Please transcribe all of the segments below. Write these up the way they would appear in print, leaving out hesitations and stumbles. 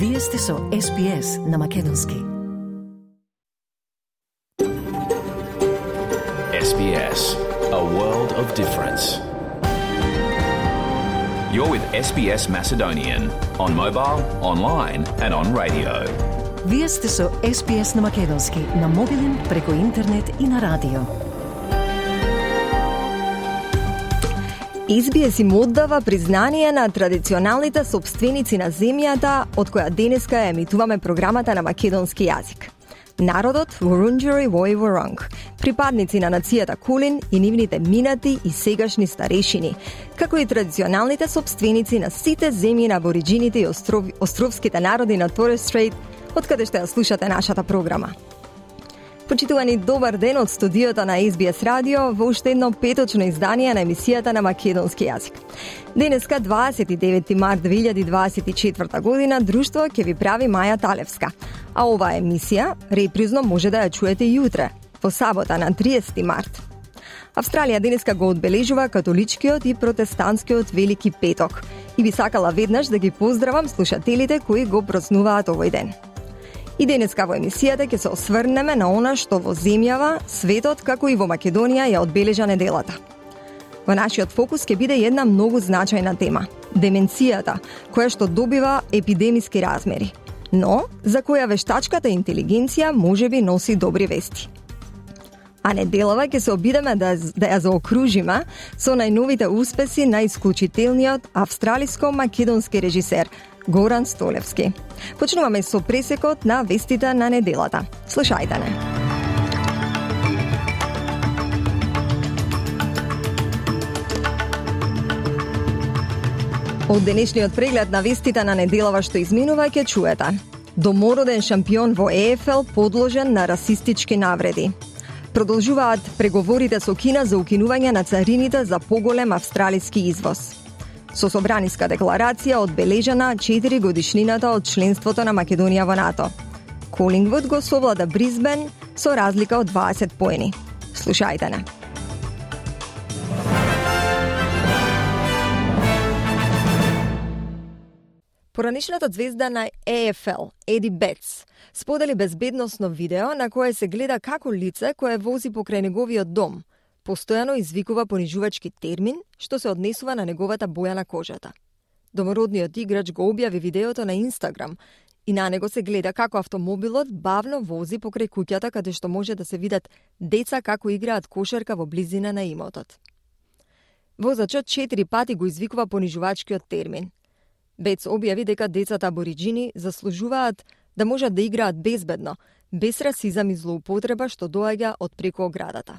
Вие сте со SPS на Македонски. SBS, a world of difference. You're with SBS Macedonian on mobile, online and on radio. Вие сте со SPS на Македонски на мобилен, преку интернет и на радио. SBS им оддава признание на традиционалните собственици на земјата, од која денеска емитуваме програмата на македонски јазик. Народот Вурунџери Војворонг, припадници на нацијата Кулин и нивните минати и сегашни старешини, како и традиционалните собственици на сите земји на абориџините и островските народи на Торес Стрейт, од каде што ја слушате нашата програма. Почитувани, добар ден од студиото на SBS радио во уште едно петочно издание на емисијата на македонски јазик. Денеска, 29 март 2024 година, друштво ќе ви прави Маја Талевска, а оваа емисија репризно може да ја чуете и утре, во сабота на 30 март. Австралија денеска го одбележува католичкиот и протестантскиот Велики петок и би сакала веднаш да ги поздравам слушателите кои го празнуваат овој ден. И денеска во емисијата ќе се осврнеме на она што во земјава, светот, како и во Македонија ја одбележа неделата. Во нашиот фокус ќе биде една многу значајна тема – деменцијата, која што добива епидемиски размери, но за која вештачката интелигенција можеби носи добри вести. А неделава ќе се обидеме да ја заокружиме со најновите успеси на исклучителниот австралиско-македонски режисер Горан Столевски. Почнуваме со пресекот на вестите на неделата. Слушајте не. Од денешниот преглед на вестите на неделава што изминува ќе чуете: домороден шампион во ЕФЛ подложен на расистички навреди. Продолжуваат преговорите со Кина за укинување на царините за поголем австралиски извоз. Со собраниска декларација одбележана 4 годишнината од членството на Македонија во НАТО. Колингвуд го совлада Брисбен со разлика од 20 поени. Слушајте не. Поранишната звезда на ЕФЛ, Еди Бетс, сподели безбедносно видео на кое се гледа како лице кое вози покрај неговиот дом постојано извикува понижувачки термин што се однесува на неговата боја на кожата. Домородниот играч го објави видеото на Инстаграм и на него се гледа како автомобилот бавно вози покрај куќата каде што може да се видат деца како играат кошарка во близина на имотот. Возачот 4 пати го извикува понижувачкиот термин. Бец објави дека децата абориџини заслужуваат да можат да играат безбедно, без расизам и злоупотреба што доаѓа од преку оградата.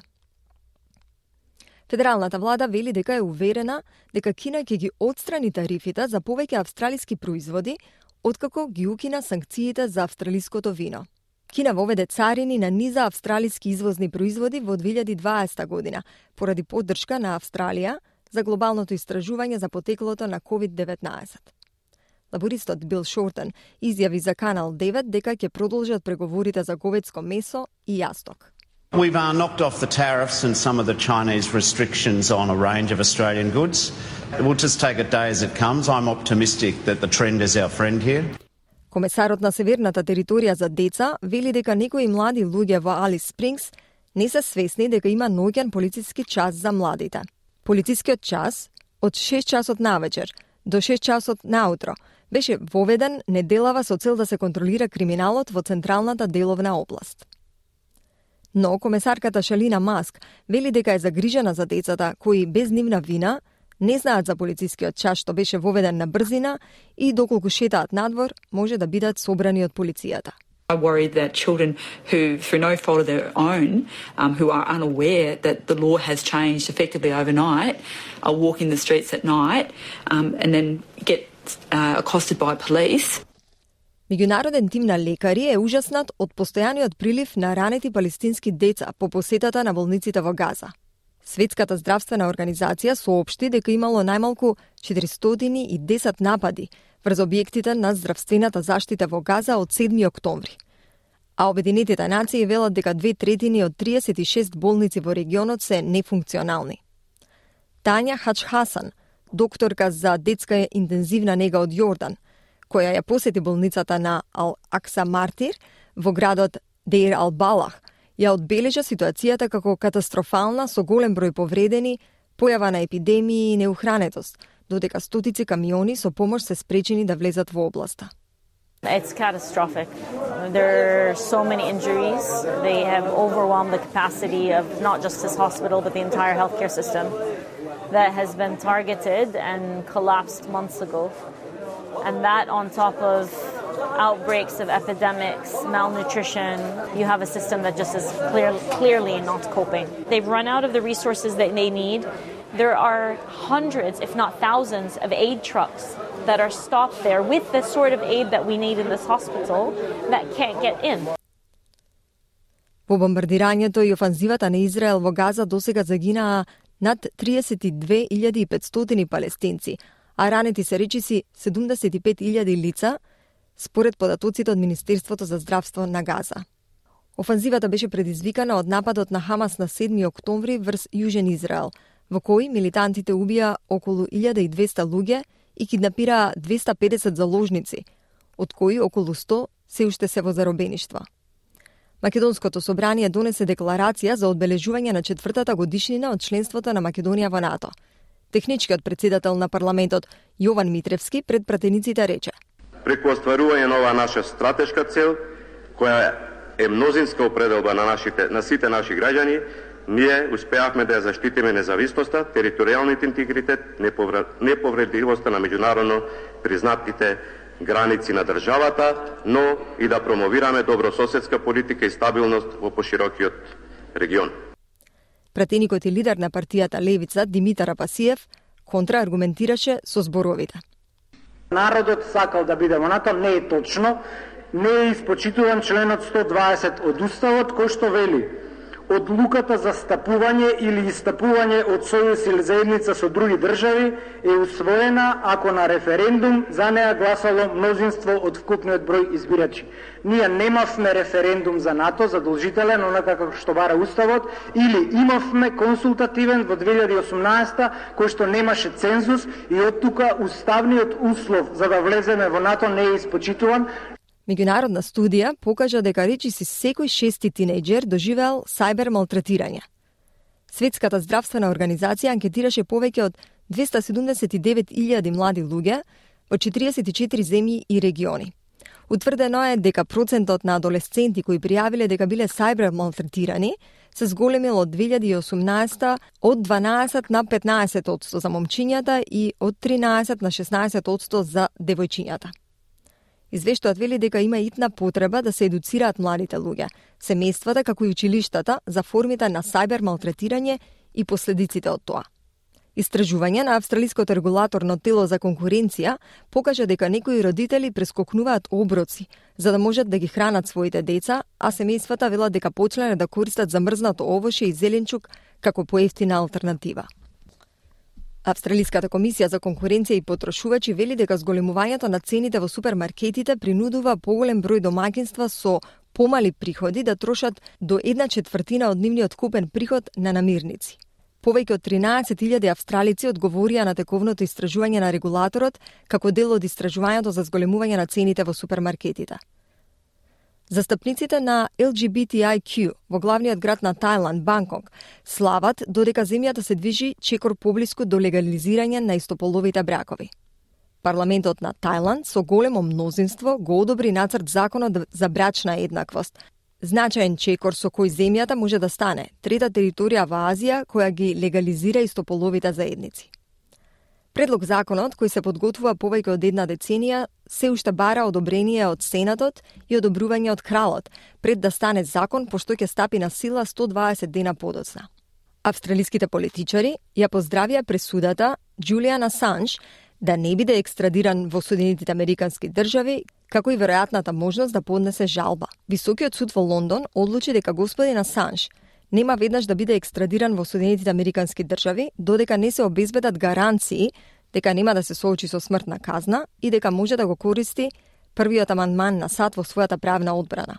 Федералната влада вели дека е уверена дека Кина ќе ги отстрани тарифите за повеќе австралиски производи, откако ги укина санкциите за австралиското вино. Кина воведе царини на низа австралиски извозни производи во 2020 година, поради поддршка на Австралија за глобалното истражување за потеклото на COVID-19. Лабористот Бил Шортен изјави за Канал 9 дека ќе продолжат преговорите за говедско месо и јасток. We've knocked off the tariffs and some of the Chinese restrictions on a range of Australian goods. We'll just take a day as it comes. I'm optimistic that the trend is our friend here. Комесарот на Северната територија за деца вели дека некои млади луѓе во Алис Спрингс не се свесни дека има ноќен полициски час за младите. Полицискиот час од 6 часот навечер до 6 часот наутро беше воведен неделава со цел да се контролира криминалот во централната деловна област. Но комесарката Шалина Маск вели дека е загрижена за децата кои без нивна вина не знаат за полицискиот час што беше воведен на брзина и доколку шетаат надвор може да бидат собрани од полицијата. I worry that children who, through no fault of their own, who are unaware that the law has changed effectively overnight, are walking the streets at night and then get accosted by police. Меѓународен тим на лекари е ужаснат од постојаниот прилив на ранети палестински деца по посетата на болниците во Газа. Светската здравствена организација соопшти дека имало најмалку 410 напади врз објектите на здравствената заштита во Газа од 7 октомври. А Обединетите нации велат дека 2/3 од 36 болници во регионот се нефункционални. Тања Хач Хасан, докторка за детска интензивна нега од Јордан, која ја посети болницата на Ал-Акса Мартир во градот Дейр Ал-Балах, ја одбележа ситуацијата како катастрофална со голем број повредени, појава на епидемии и неухранетост, додека стотици камиони со помош се спречени да влезат во областа. It's catastrophic. There are so many injuries. They have overwhelmed the capacity of not just this hospital, but the entire healthcare system that has been targeted and collapsed months ago. And that on top of outbreaks of epidemics, malnutrition, you have a system that just is clearly not coping. They've run out of the resources that they need. There are hundreds, if not thousands, of aid trucks that are stopped there with the sort of aid that we need in this hospital that can't get in. Во бомбардирањето и офанзивата на Израел во Газа досега загинаа над 32.500 палестинци, а ранети се речиси 75.000 лица, според податоците од Министерството за здравство на Газа. Офанзивата беше предизвикана од нападот на Хамас на 7 октомври врз Јужен Израел, во кој милитантите убија околу 1200 луѓе и киднапираа 250 заложници, од кои околу 100 се уште се во заробеништва. Македонското собрание донесе декларација за одбележување на 4-та годишнина од членството на Македонија во НАТО. Техничкиот председател на парламентот Јован Митревски пред пратениците рече: Преку остварување на оваа наша стратешка цел, која е мнозинска определба на сите наши граѓани, ние успеавме да ја заштитиме независноста, територијалниот интегритет, неповредливоста на меѓународно признатите граници на државата, но и да промовираме добрососедска политика и стабилност во поширокиот регион. Пратеникот и лидер на партијата Левица Димитар Апасиев контрааргументираше со зборовите. Народот сакал да биде во НАТО, не е точно, не е испочитуван членот 120 од Уставот, кој што вели: одлуката за стапување или истапување од сојуз или заедница со други држави е усвоена ако на референдум за неа гласало мнозинство од вкупниот број избирачи. Ние немавме референдум за НАТО задолжителен, онака како што бара Уставот, или имавме консултативен во 2018 кој што немаше цензус и од тука уставниот услов за да влеземе во НАТО не е испочитуван. Меѓународна студија покажа дека речиси секој 6-ти тинејџер доживеал сајбер малтретирање. Светската здравствена организација анкетираше повеќе од 279.000 млади луѓе во 44 земји и региони. Утврдено е дека процентот на адолесценти кои пријавиле дека биле сајбер малтретирани се зголемил од 2018 од 12 на 15% за момчињата и од 13 на 16% за девојчињата. Извештаот вели дека има итна потреба да се едуцираат младите луѓе, семејствата како и училиштата за формите на сајбер малтретирање и последиците од тоа. Истражување на австралиското регулаторно тело за конкуренција покажа дека некои родители прескокнуваат оброци за да можат да ги хранат своите деца, а семејствата велат дека почнале да користат замрзнато овоше и зеленчук како поевтина алтернатива. Австралиската комисија за конкуренција и потрошувачи вели дека зголемувањето на цените во супермаркетите принудува поголем број домаќинства со помали приходи да трошат до 1/4 од нивниот купен приход на намирници. Повеќе од 13.000 австралици одговорија на тековното истражување на регулаторот како дел од истражувањето за зголемување на цените во супермаркетите. Застапниците на LGBTIQ во главниот град на Тајланд, Банкок, слават додека земјата се движи чекор поблиску до легализирање на истополовите бракови. Парламентот на Тајланд со големо мнозинство го одобри нацрт законот за брачна еднаквост, значаен чекор со кој земјата може да стане трета територија во Азија која ги легализира истополовите заедници. Предлог законот, кој се подготвува повеќе од една деценија, се уште бара одобрение од Сенатот и одобрување од Кралот, пред да стане закон, пошто ќе стапи на сила 120 дена подоцна. Австралиските политичари ја поздравија пресудата Џулијан Асанж да не биде екстрадиран во Соединетите Американски држави, како и веројатната можност да поднесе жалба. Високиот суд во Лондон одлучи дека господин Асанж нема веднаш да биде екстрадиран во Соединетите Американски држави, додека не се обезбедат гаранции дека нема да се соочи со смртна казна и дека може да го користи првиот амандман на САД во својата правна одбрана.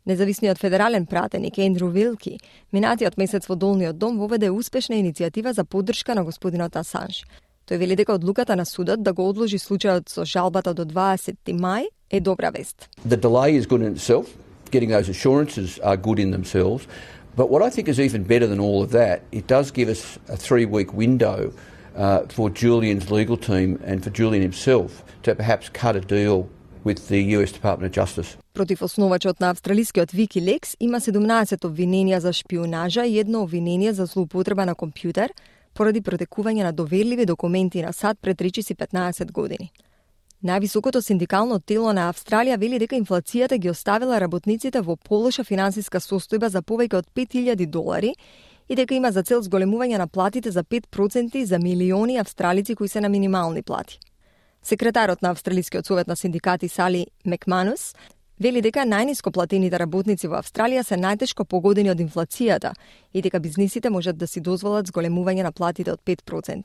Независниот федерален пратеник Ендрю Вилки минатиот месец во Долниот дом воведе успешна иницијатива за поддршка на господинот Асанж. Тој вели дека одлуката на судот да го одложи случајот со жалбата до 20 мај е добра вест. The delay is good in itself. Getting those assurances are good in themselves. But what I think is even better than all of that, it does give us a 3-week window for Julian's legal team and for Julian himself to perhaps cut a deal with the US Department of Justice. Против основачот на австралискиот Wikileaks има 17 обвиненија за шпионажа и едно обвинение за злоупотреба на компјутер поради протекување на доверливи документи на САД пред речиси 15 години. Највисокото синдикално тело на Австралија вели дека инфлацијата ги оставила работниците во полоша финансиска состојба за повеќе од $5,000 и дека има за цел зголемување на платите за 5% за милиони австралици кои се на минимални плати. Секретарот на Австралискиот совет на синдикати Сали Макманус вели дека најниско платените работници во Австралија се најтешко погодени од инфлацијата и дека бизнисите можат да си дозволат зголемување на платите од 5%.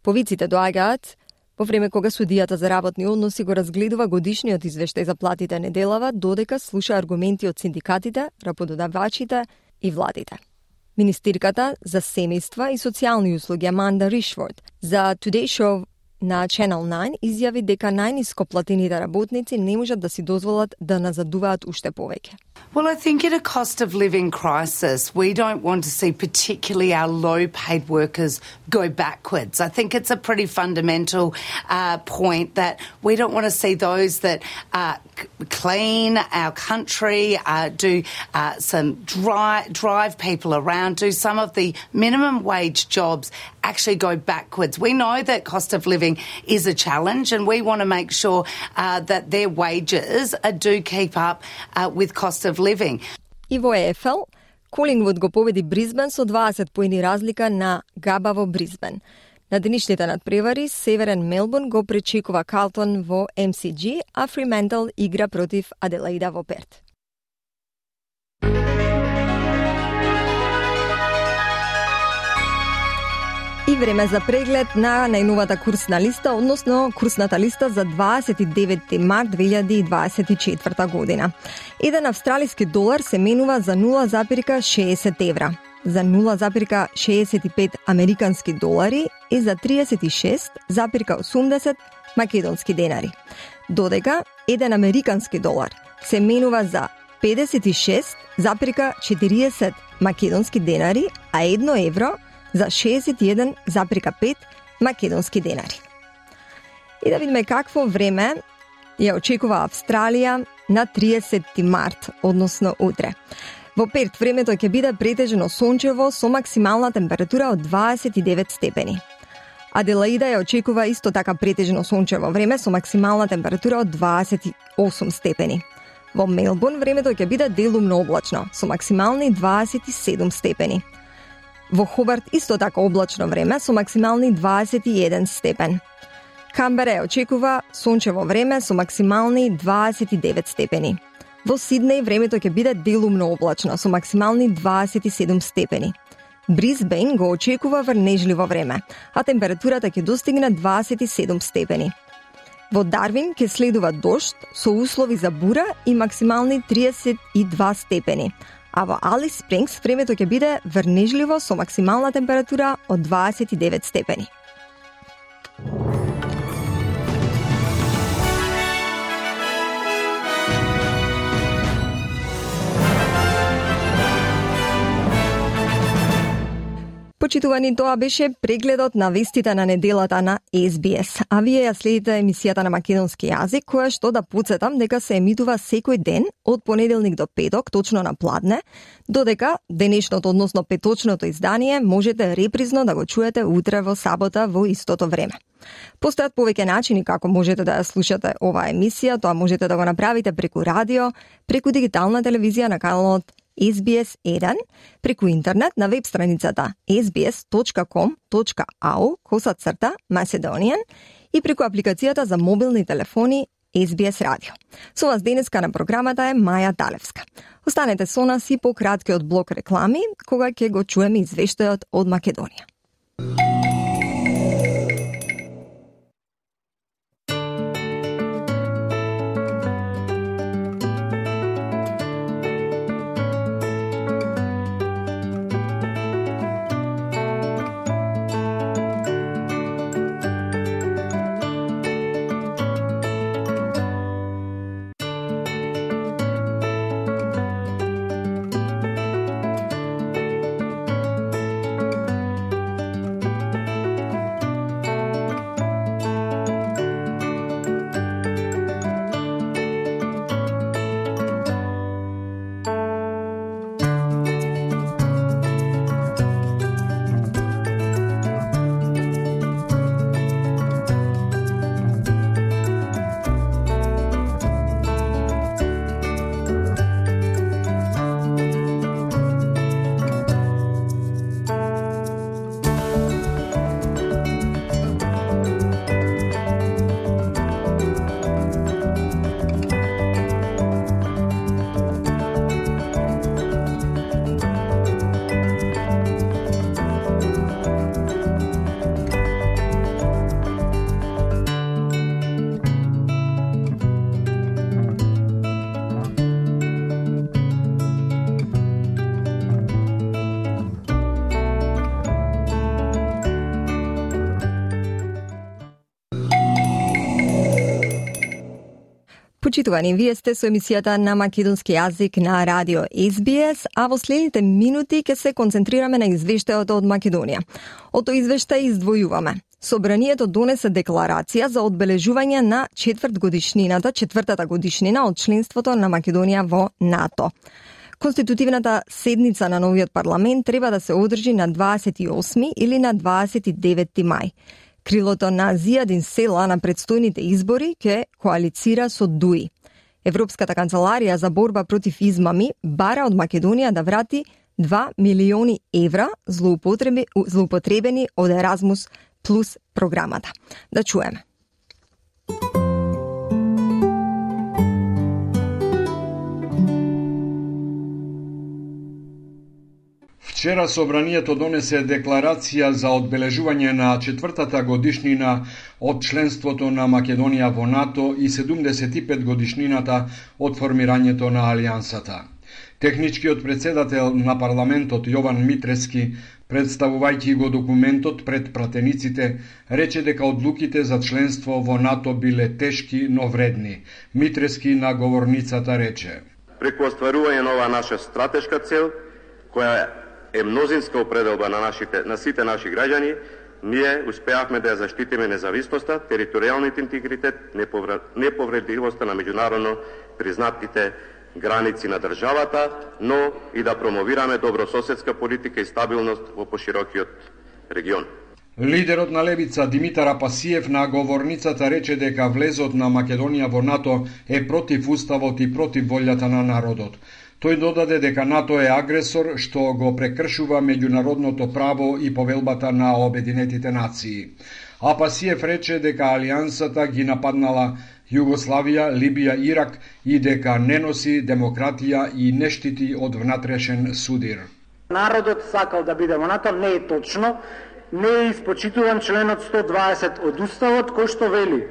Повиците доаѓаат во време кога судијата за работни односи го разгледува годишниот извештај за платите неделава, додека слуша аргументи од синдикатите, работодавачите и владите. Министерката за семејства и социјални услуги Аманда Ришфорд за Today Show на Channel 9 изјави дека најниско платените работници не можат да си дозволат да назадуваат уште повеќе. Well, I think in a cost of living crisis, we don't want to see particularly our low-paid workers go backwards. I think it's a pretty fundamental point that we don't want to see those that clean our country, do some drive people around, do some of the minimum wage jobs actually go backwards. We know that cost of living is a challenge and we want to make sure that their wages do keep up with cost of living. И во ЕФЛ, Колингвуд го победи Бризбен со 20 поени разлика на Габа во Бризбен. На денешните надпревари, Северен Мелбурн го пречекува Карлтон во MCG, а Фриментал игра против Аделаида во Перт. И време за преглед на најновата курсна листа, односно курсната листа за 29 март 2024 година. Еден австралиски долар се менува за 0,60 евра, за 0,65 американски долари и за 36,80 македонски денари. Додека еден американски долар се менува за 56,40 македонски денари, а 1 евро за 61,5 македонски денари. И да видиме какво време ја очекува Австралија на 30 март, односно утре. Во Перт времето ќе биде претежно сончево со максимална температура од 29 степени. Аделаида ја очекува исто така претежно сончево време со максимална температура од 28 степени. Во Мелбурн времето ќе биде делумно облачно со максимални 27 степени. Во Хобарт исто така облачно време со максимални 21 степен. Камбера ја очекува сончево време со максимални 29 степени. Во Сиднеј времето ќе биде делумно облачно со максимални 27 степени. Бризбен го очекува врнежливо време, а температурата ќе достигне 27 степени. Во Дарвин ќе следува дожд со услови за бура и максимални 32 степени. А во Алис Спрингс времето ќе биде врнежливо со максимална температура од 29 степени. Почитувани, тоа беше прегледот на вестите на неделата на SBS. А вие ја следите емисијата на македонски јазик, која што да потсетам дека се емитува секој ден од понеделник до петок, точно на пладне, додека денешното, односно петочното издание можете репризно да го чуете утре во сабота во истото време. Постојат повеќе начини како можете да ја слушате оваа емисија, тоа можете да го направите преку радио, преку дигитална телевизија на каналот SBS 1, преку интернет на веб страницата sbs.com.au/Macedonian и преку апликацијата за мобилни телефони SBS Radio. Со вас денеска на програмата е Маја Талевска. Останете со нас и по краткиот блок реклами, кога ќе го чуеме извештајот од Македонија. Почитувани, вие сте со емисијата на македонски јазик на радио SBS, а во следните минути ќе се концентрираме на извештајот од Македонија. Од тој извештај издвојуваме. Собранието донесе декларација за одбележување на четвртата годишнина од членството на Македонија во НАТО. Конститутивната седница на новиот парламент треба да се одржи на 28 или на 29 мај. Крилото на Зијадин Села на предстојните избори ќе коалицира со ДУИ. Европската канцеларија за борба против измами бара од Македонија да врати 2 милиони евра злоупотребени од Еразмус плюс програмата. Да чуеме. Вчера собранието донесе декларација за одбележување на четвртата годишнина од членството на Македонија во НАТО и 75 годишнината од формирањето на Алијансата. Техничкиот председател на парламентот Јован Митрески, представувајќи го документот пред пратениците, рече дека одлуките за членство во НАТО биле тешки, но вредни. Митрески на говорницата рече: Преку остварување на оваа наша стратешка цел, која е мнозинска определба на сите наши граѓани, ние успеавме да ја заштитиме независноста, територијалниот интегритет, неповредливоста на меѓународно признатите граници на државата, но и да промовираме добрососедска политика и стабилност во поширокиот регион. Лидерот на Левица Димитар Апасиев на говорницата рече дека влезот на Македонија во НАТО е против уставот и против волјата на народот. Тој додаде дека НАТО е агресор што го прекршува меѓународното право и повелбата на Обединетите нации. Апасиев рече дека Алијансата ги нападнала Југославија, Либија, Ирак и дека не носи демократија и не штити од внатрешен судир. Народот сакал да биде во НАТО, не е точно. Не е испочитуван членот 120 од Уставот, кој што вели: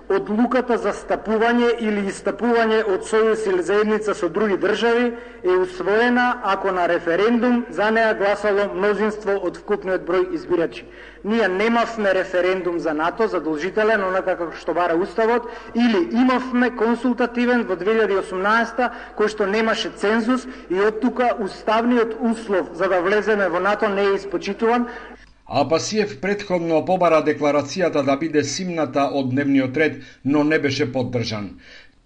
одлуката за стапување или истапување од сојуз или заедница со други држави е усвоена ако на референдум за неа гласало мнозинство од вкупниот број избирачи. Ние немавме референдум за НАТО задолжителен, онака како што бара Уставот, или имавме консултативен во 2018 кој што немаше цензус и од тука уставниот услов за да влеземе во НАТО не е испочитуван. Апасиев претходно побара декларацијата да биде симната од дневниот ред, но не беше поддржан.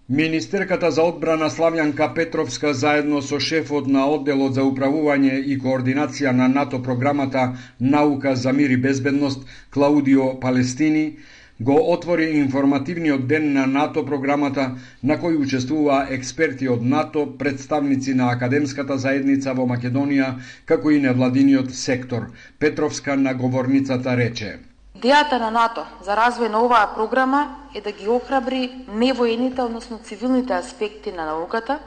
Министерката за одбрана Славјанка Петровска заедно со шефот на одделот за управување и координација на НАТО програмата Наука за мир и безбедност Клаудио Палестини го отвори информативниот ден на НАТО програмата, на кој учествуваа експерти од НАТО, представници на академската заедница во Македонија, како и невладиниот сектор. Петровска на говорницата рече: Идејата на НАТО за развој на оваа програма е да ги охрабри невоените, односно цивилните аспекти на науката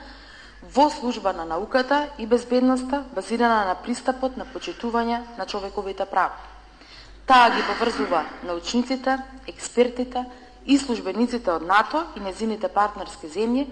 во служба на науката и безбедноста, базирана на пристапот на почитување на човековите права. Таа ги поврзува научниците, експертите и службениците од НАТО и незините партнерски земји,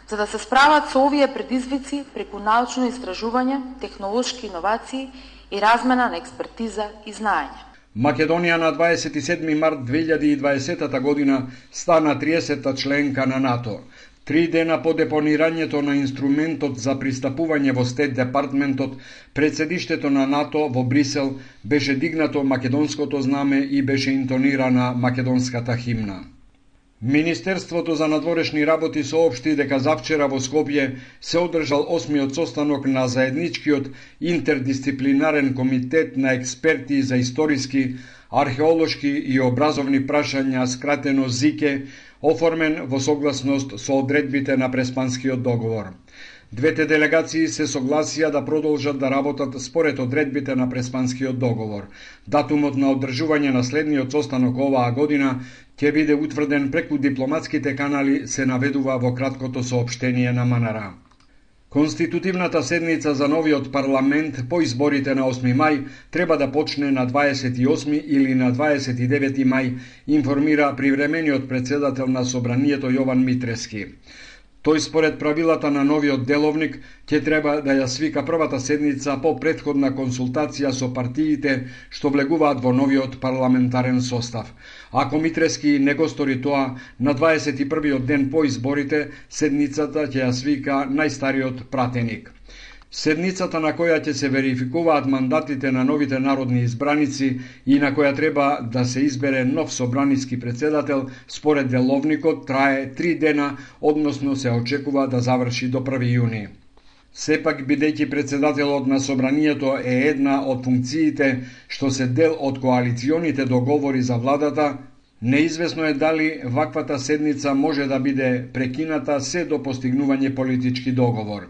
за да се справат со овие предизвици преку научно истражување, технолошки иновации и размена на експертиза и знаење. Македонија на 27 март 2020 година стана 30-та членка на НАТО. 3 дена по депонирањето на инструментот за пристапување во Стет Департментот, пред седиштето на НАТО во Брисел беше дигнато македонското знаме и беше интонирана македонската химна. Министерството за надворешни работи соопшти дека завчера во Скопје се одржал 8-миот состанок на заедничкиот интердисциплинарен комитет на експерти за историски, археолошки и образовни прашања, скратено ЗИКЕ, оформен во согласност со одредбите на Преспанскиот договор. Двете делегации се согласија да продолжат да работат според одредбите на Преспанскиот договор. Датумот на одржување на следниот состанок оваа година ќе биде утврден преку дипломатските канали, се наведува во краткото соопштение на МНР. Конститутивната седница за новиот парламент по изборите на 8 мај треба да почне на 28 или на 29 мај, информира привремениот председател на собранието Јован Митрески. Тој според правилата на новиот деловник ќе треба да ја свика првата седница по претходна консултација со партиите што влегуваат во новиот парламентарен состав. Ако Митрески не го стори тоа, на 21-иот ден по изборите, седницата ќе ја свика најстариот пратеник. Седницата на која ќе се верификуваат мандатите на новите народни избраници и на која треба да се избере нов собраниски председател, според деловникот трае 3 дена, односно се очекува да заврши до 1 јуни. Сепак, бидејќи председателот на собранието е една од функциите што се дел од коалиционите договори за владата, неизвестно е дали ваквата седница може да биде прекината се до постигнување политички договор.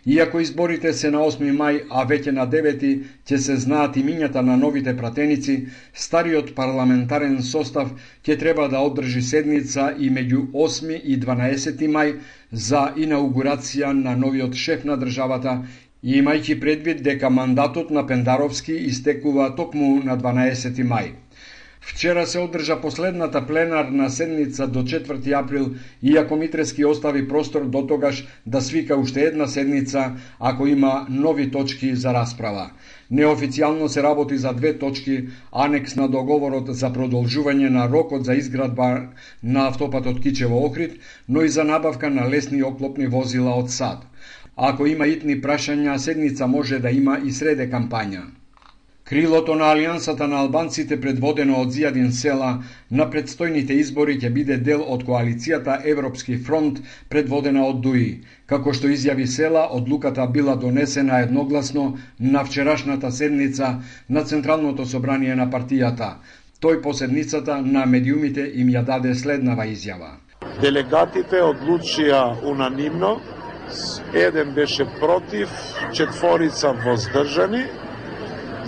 Иако изборите се на 8 мај, а веќе на 9 ќе се знаат имињата на новите пратеници, стариот парламентарен состав ќе треба да одржи седница и меѓу 8 и 12 мај за инаугурација на новиот шеф на државата, имајќи предвид дека мандатот на Пендаровски истекува токму на 12 мај. Вчера се одржа последната пленарна седница до 4 април, иако Митрески остави простор до тогаш да свика уште една седница ако има нови точки за расправа. Неофицијално се работи за 2 точки, анекс на договорот за продолжување на рокот за изградба на автопатот Кичево-Охрид, но и за набавка на лесни оклопни возила од САД. Ако има итни прашања, седница може да има и среде кампања. Крилото на Алијансата на албанците, предводено од Зијадин Села, на предстојните избори ќе биде дел од коалицијата Европски фронт, предводена од ДУИ. Како што изјави Села, одлуката била донесена едногласно на вчерашната седница на Централното собрание на партијата. Тој по седницата на медиумите им ја даде следнава изјава. Делегатите одлучија унанимно, еден беше против, 4 воздржани,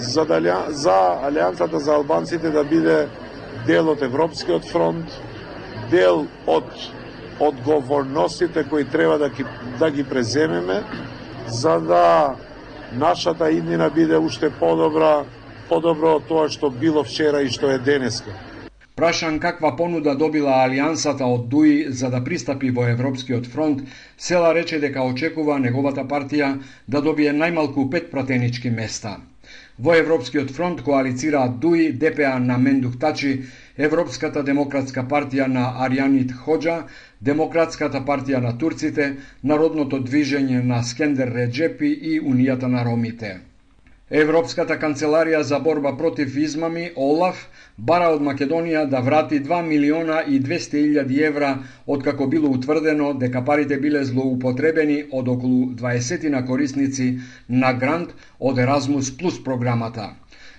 за Алијансата за албанците да биде дел од Европскиот фронт, дел од одговорностите кои треба да ги преземеме, за да нашата иднина биде уште подобро од тоа што било вчера и што е денеска. Прашан каква понуда добила Алијансата од ДУИ за да пристапи во Европскиот фронт, Села рече дека очекува неговата партија да добие најмалку 5 пратенички места. Во Европскиот фронт коалицираат ДУИ, ДПА на Мендух Тачи, Европската демократска партија на Аријанит Хоџа, Демократската партија на турците, Народното движење на Скендер Реджепи и Унијата на ромите. Европската канцеларија за борба против измами, ОЛАФ, бара од Македонија да врати 2.200.000 евра, откако било утврдено дека парите биле злоупотребени од околу 20 корисници на грант од Еразмус Плюс програмата.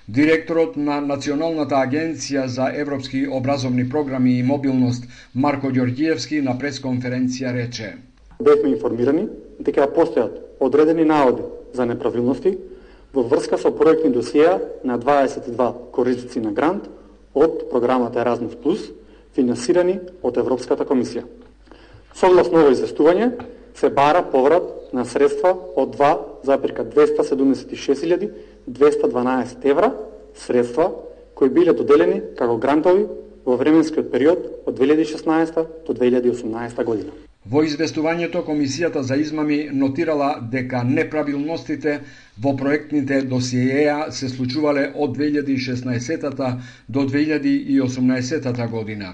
Директорот на Националната агенција за европски образовни програми и мобилност Марко Ѓорѓиевски на пресконференција рече: Бевме информирани дека постојат одредени наводи за неправилности во врска со проектни досиеа на 22 корисници на грант од програмата Еразмус Плюс, финансирани од Европската комисија. Согласно ово известување, се бара поврат на средства од 2,276.212 евра, средства кои биле доделени како грантови во временскиот период од 2016 до 2018 година. Во известувањето, Комисијата за измами нотирала дека неправилностите во проектните досиеја се случувале од 2016 до 2018 година.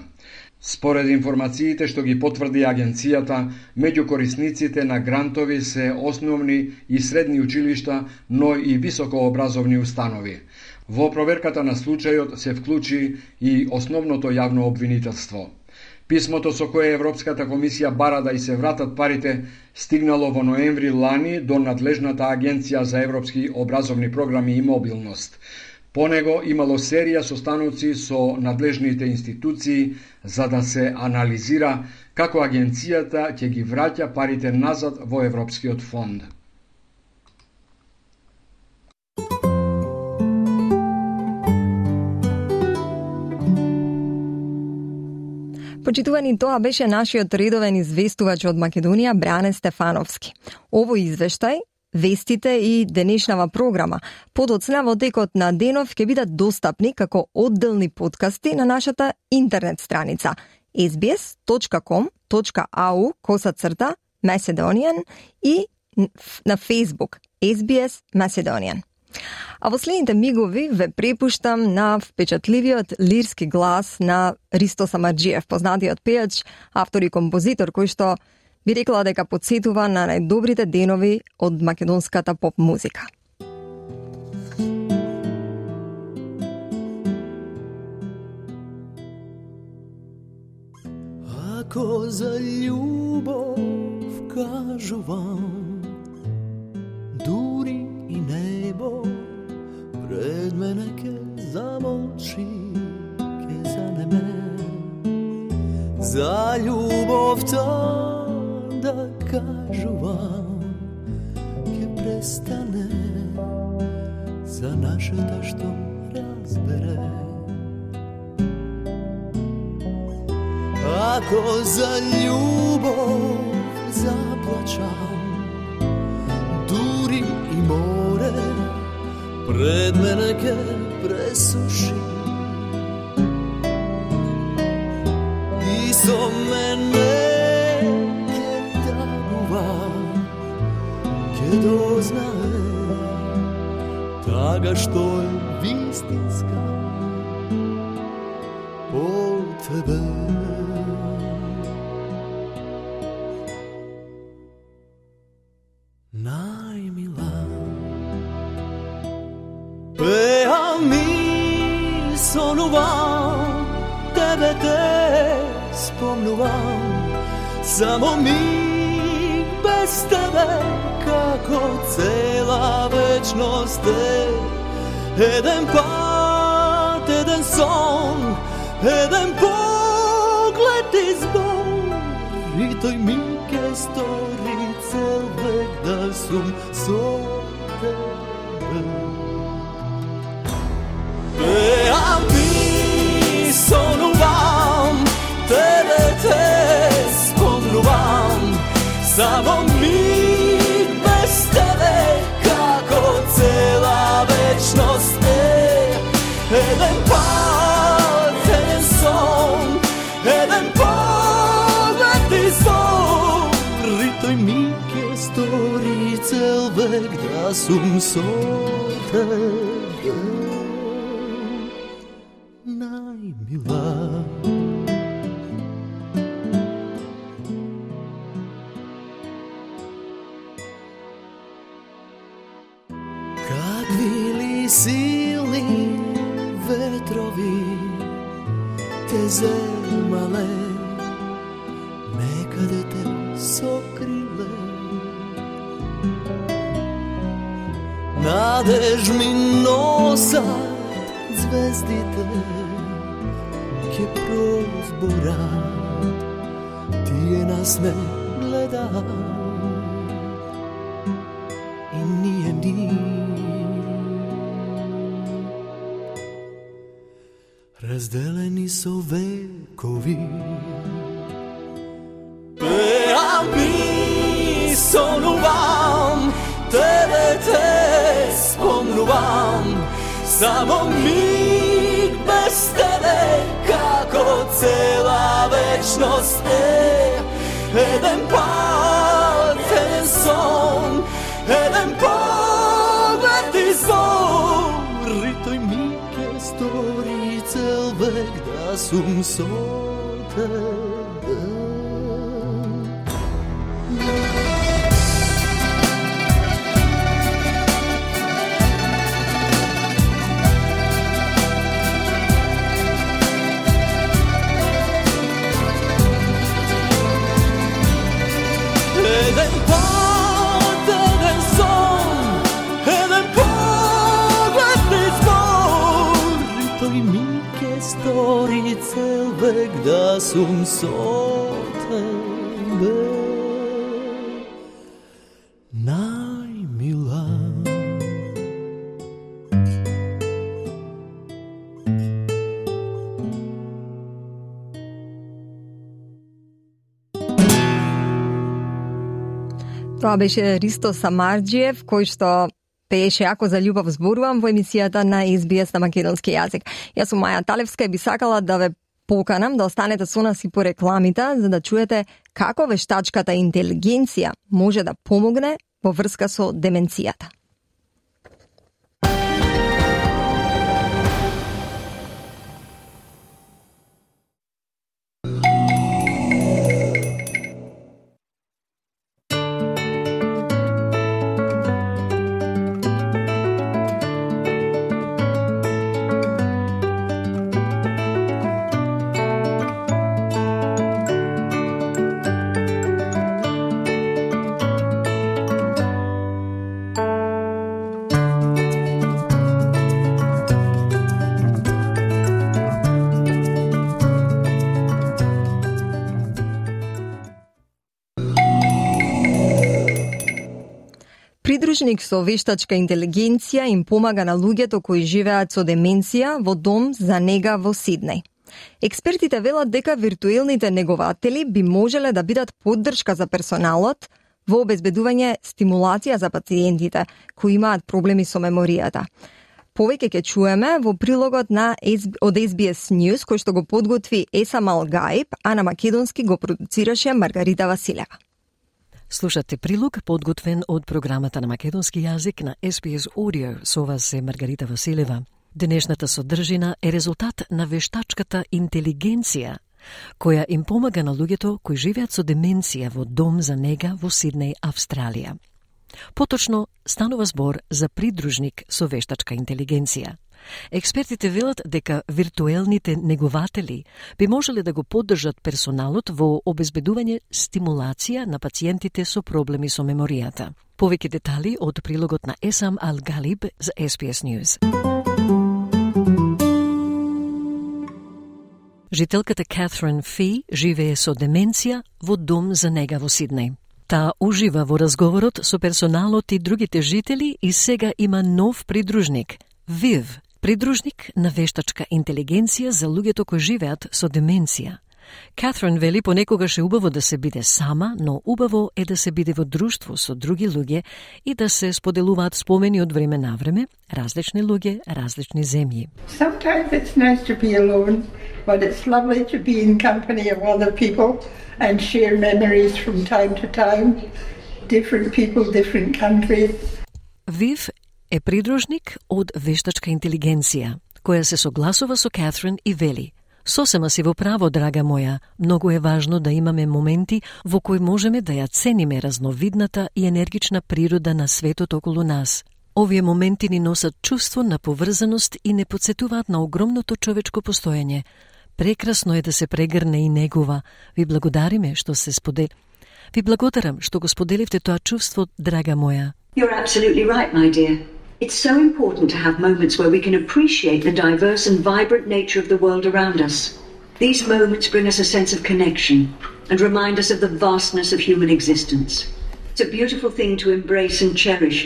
Според информациите што ги потврди агенцијата, меѓу корисниците на грантови се основни и средни училишта, но и високообразовни установи. Во проверката на случајот се вклучи и основното јавно обвинителство. Писмото со кое Европската комисија бара да и се вратат парите стигнало во ноември лани до надлежната агенција за европски образовни програми и мобилност. По него имало серија состаноци со надлежните институции за да се анализира како агенцијата ќе ги враќа парите назад во Европскиот фонд. Почитувани, тоа беше нашиот редовен известувач од Македонија Бране Стефановски. Овој извештај, вестите и денешнава програма подоцна во текот на денов ќе бидат достапни како одделни подкасти на нашата интернет страница sbs.com.au Macedonian и на Facebook SBS Macedonian. А во следните мигови ве препуштам на впечатливиот лирски глас на Ристо Самарџиев, познатиот пејач, автор и композитор, кој што би рекла дека потсетува на најдобрите денови од македонската поп музика. Ако за љубов кажувам, дури и небо пред мене ке замолчи, ке занеме. За љубовта да кажувам, ке престане, за нашата што разбере. Ако за љубов заплачам, дури и море пред мене ке пресуши, и со мене ке тагува, ке дознае тага што е вистинска по тебе. Сонувам, тебе те спомнувам, само миг без тебе, како цела вечност е. Еден пат, еден сон, еден поглед избор, и тој миг е стори цел век да сум со тебе. Сонувам, тебе те спомнувам, само миг без тебе, како цела вечност е. Еден пат, еден сон, еден поглед извор, и тој миг е стори цел век да сум со тебе. Најмила. Какви ли силни ветрови те земале, некаде те сокриле. Надеж ми носат звездите, ке прозборат, тие нас ме гледат, и ние ни. Разделени со векови, пеам и сонувам, тебе те спомнувам, само миг без тебе, како цела вечност е. Еден пат, еден сон, еден поглед извор, и тој миг е стори цел век да сум со тебе. Еден пат, еден сон, еден поглед извор, и тој миг е стори цел век да сум со тебе. Најмила. Тоа беше Ристо Самарџиев, кој што пееше "Ако за љубов зборувам" во емисијата на SBS на македонски јазик. Јас сум Маја Талевска и би сакала да ве Поканам да останете со нас и по рекламите, за да чуете како вештачката интелигенција може да помогне во врска со деменцијата. Придружник со вештачка интелигенција им помага на луѓето кои живеат со деменција во дом за нега во Сиднеј. Експертите велат дека виртуелните негователи би можеле да бидат поддршка за персоналот во обезбедување стимулација за пациентите кои имаат проблеми со меморијата. Повеќе ќе чуеме во прилогот од SBS News, кој што го подготви Есам Алгаиб, а на македонски го продуцираше Маргарита Василева. Слушате прилог подготвен од програмата на македонски јазик на SBS Audio. Со вас е Маргарита Василева. Денешната содржина е резултат на вештачката интелигенција, која им помага на луѓето кои живеат со деменција во дом за нега во Сиднеј, Австралија. Поточно станува збор за придружник со вештачка интелигенција. Експертите велат дека виртуелните негователи би можеле да го поддржат персоналот во обезбедување стимулација на пациентите со проблеми со меморијата. Повеќе детали од прилогот на Есам Алгалиб за SBS News. Жителката Катрин Фи живее со деменција во дом за нега во Сиднеј. Таа ужива во разговорот со персоналот и другите жители и сега има нов придружник – Вив, придружник на вештачка интелигенција за луѓето кои живеат со деменција. Катрин вели понекогаш е убаво да се биде сама, но убаво е да се биде во друштво со други луѓе и да се споделуваат спомени од време на време, различни луѓе, различни земји. Sometimes it's nice to be alone, but it's lovely to be in company of other people and share memories from time to time. Different people, different countries. Вив е придружник од вештачка интелигенција, која се согласува со Катрин и вели: "Сосема си во право, драга моја, многу е важно да имаме моменти во кои можеме да ја цениме разновидната и енергична природа на светот околу нас. Овие моменти ни носат чувство на поврзаност и не потсетуваат на огромното човечко постоење. Прекрасно е да се прегрне и негува. Ви благодариме што се Ви благодарам што го споделивте тоа чувство, драга моја." You're absolutely right, my dear. It's so important to have moments where we can appreciate the diverse and vibrant nature of the world around us. These moments bring us a sense of connection and remind us of the vastness of human existence. It's a beautiful thing to embrace and cherish.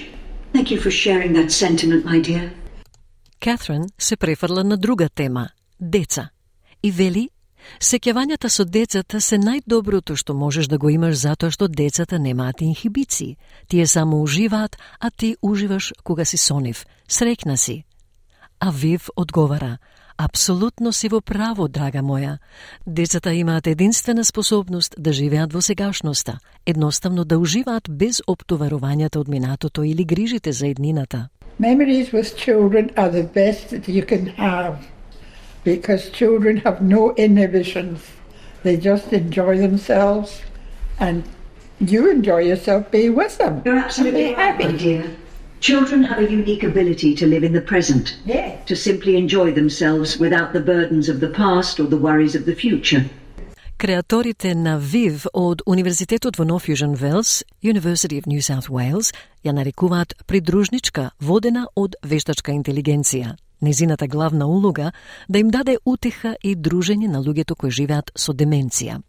Thank you for sharing that sentiment, my dear. Катрин се префрла на друга тема – деца. И вели, сеќавањата со децата се најдоброто што можеш да го имаш затоа што децата немаат инхибиции. Тие само уживаат, а ти уживаш кога си со нив. Среќна си. А Вив одговара: "Апсолутно си во право, драга моја. Децата имаат единствена способност да живеат во сегашноста, едноставно да уживаат без оптоварувањата од минатото или грижите за еднината." Memories with children are the best that you can have. Because children have no inhibitions. They just enjoy themselves and you enjoy yourself being with them. You're absolutely right, my dear. Children have a unique ability to live in the present, to simply enjoy themselves without the burdens of the past or the worries of the future. Креаторите на Вив од Универзитетот во Нов Јужен Велс, University of New South Wales, ја нарекуваат придружничка водена од вештачка интелигенција. Незината главна улога да им даде утеха и дружење на луѓето кои живеат со деменција.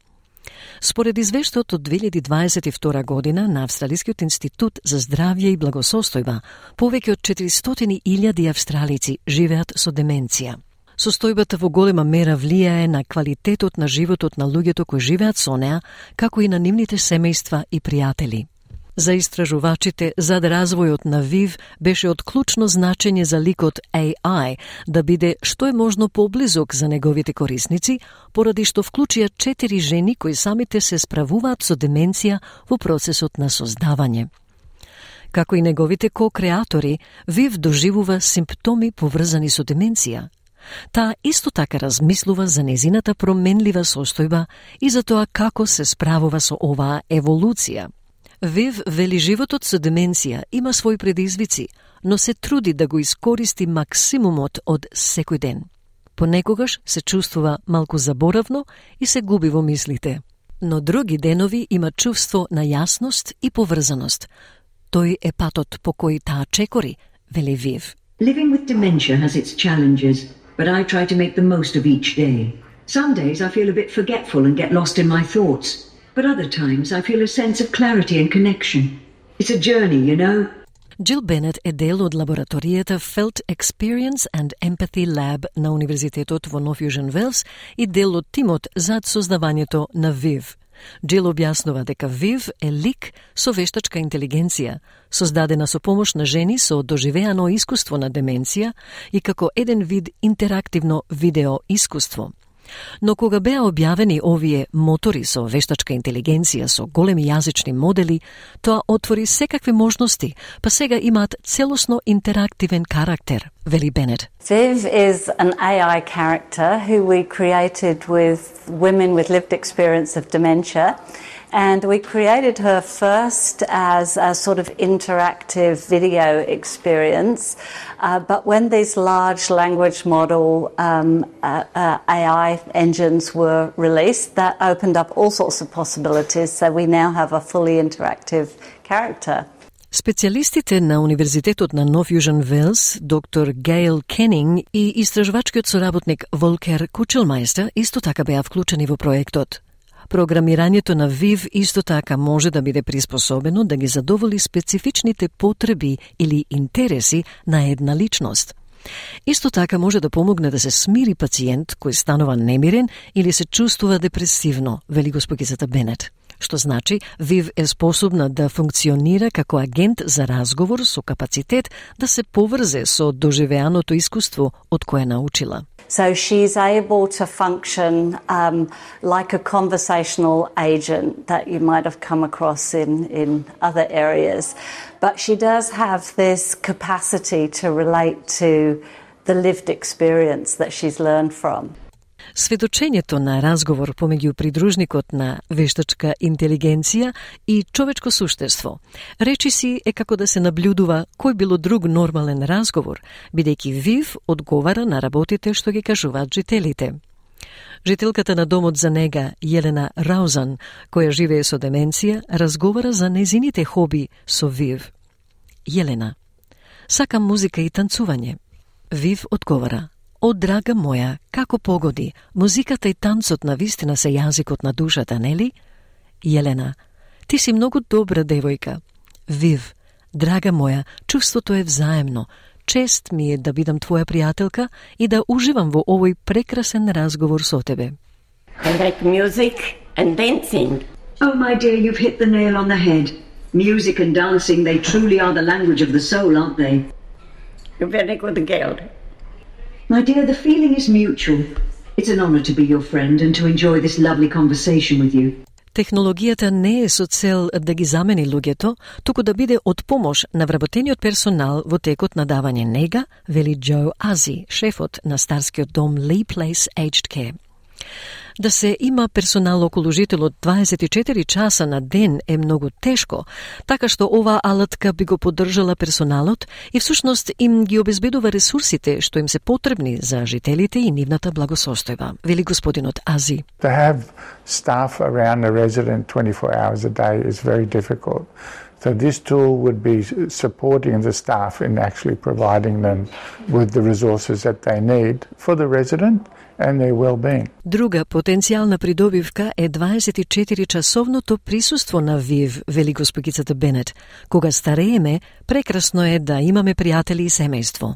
Според извештајот од 2022 година на Австралискиот институт за здравје и благосостојба, повеќе од 400.000 австралици живеат со деменција. Состојбата во голема мера влијае на квалитетот на животот на луѓето кои живеат со неа, како и на нивните семејства и пријатели. За истражувачите, зад развојот на ВИВ беше од клучно значење за ликот AI да биде што е можно поблизок за неговите корисници, поради што вклучија 4 жени кои самите се справуваат со деменција во процесот на создавање. Како и неговите ко-креатори, ВИВ доживува симптоми поврзани со деменција. Таа исто така размислува за незината променлива состојба и за тоа како се справува со оваа еволуција. ВИВ вели животот со деменција има своји предизвици, но се труди да го искористи максимумот од секој ден. Понекогаш се чувствува малку заборавно и се губи во мислите. Но други денови има чувство на јасност и поврзаност. Тој е патот по кој таа чекори, вели ВИВ. Living with dementia has its challenges, but I try to make the most of each day. Some days I feel a bit forgetful and get lost in my thoughts, but other times I feel a sense of clarity and connection. It's a journey, you know. Джил Бенет е дел од лабораторијата Felt Experience and Empathy Lab на Универзитетот во Нов Јужен Велс и дел од тимот зад создавањето на ВИВ. Джил објаснува дека ВИВ е лик со вештачка интелигенција, создадена со помош на жени со доживеано искуство на деменција и како еден вид интерактивно видео искуство. Но кога беа објавени овие мотори со вештачка интелигенција со големи јазични модели, тоа отвори секакви можности, па сега имаат целосно интерактивен карактер, вели Бенет. Viv is an AI character who we created with women with lived experience of dementia. And we created her first as a sort of interactive video experience. But when these large language model AI engines were released, that opened up all sorts of possibilities. So we now have a fully interactive character. Специјалистите на Универзитетот на Нов Јужен Велс, доктор Гейл Кенинг и истражувачкиот соработник Волкер Кучелмајстер исто така беа вклучени во проектот. Програмирањето на ВИВ исто така може да биде приспособено да ги задоволи специфичните потреби или интереси на една личност. Исто така може да помогне да се смири пациент кој станува немирен или се чувствува депресивно, вели госпогицата Бенет. Што значи, ВИВ е способна да функционира како агент за разговор со капацитет да се поврзе со доживеаното искуство од кое научила. So she's able to function like a conversational agent that you might have come across in other areas. But she does have this capacity to relate to the lived experience that she's learned from. Сведочењето на разговор помеѓу придружникот на вештачка интелигенција и човечко суштество речиси е како да се наблюдува кој било друг нормален разговор, бидејќи ВИВ одговара на работите што ги кажуваат жителите. Жителката на домот за нега, Јелена Раузан, која живее со деменција, разговара за незините хоби со ВИВ. Јелена: сакам музика и танцување. ВИВ одговара: О, драга моја, како погоди, музиката и танцот на вистина се јазикот на душата, нели? Јелена: ти си многу добра девојка. ВИВ: драга моја, чувството е взаемно. Чест ми е да бидам твоја пријателка и да уживам во овој прекрасен разговор со тебе. I like music and dancing. Oh, my dear, you've hit the nail on the head. Music and dancing, they truly are the language of the soul, aren't they? You're very good girl. My dear, the feeling is mutual. It's an honor to be your friend and to enjoy this lovely conversation with you. Технологијата не е со цел да ги замени луѓето, туку да биде од помош на вработениот персонал во текот на давање нега, вели Џо Ази, шефот на старскиот дом Lee Place Aged Care. Да се има персонал околу жителот 24 часа на ден е многу тешко, така што оваа алатка би го поддржала персоналот и всушност им ги обезбедува ресурсите што им се потребни за жителите и нивната благосостојба, вели господинот Ази. To have staff around the resident 24 hours a day is very difficult. So this tool would be supporting the staff in actually providing them with the resources that they need for the resident and their well-being. Друга потенцијална придобивка е 24-часовното присуство на ВИВ, вели госпогицата Бенет. Кога старееме, прекрасно е да имаме пријатели и семејство.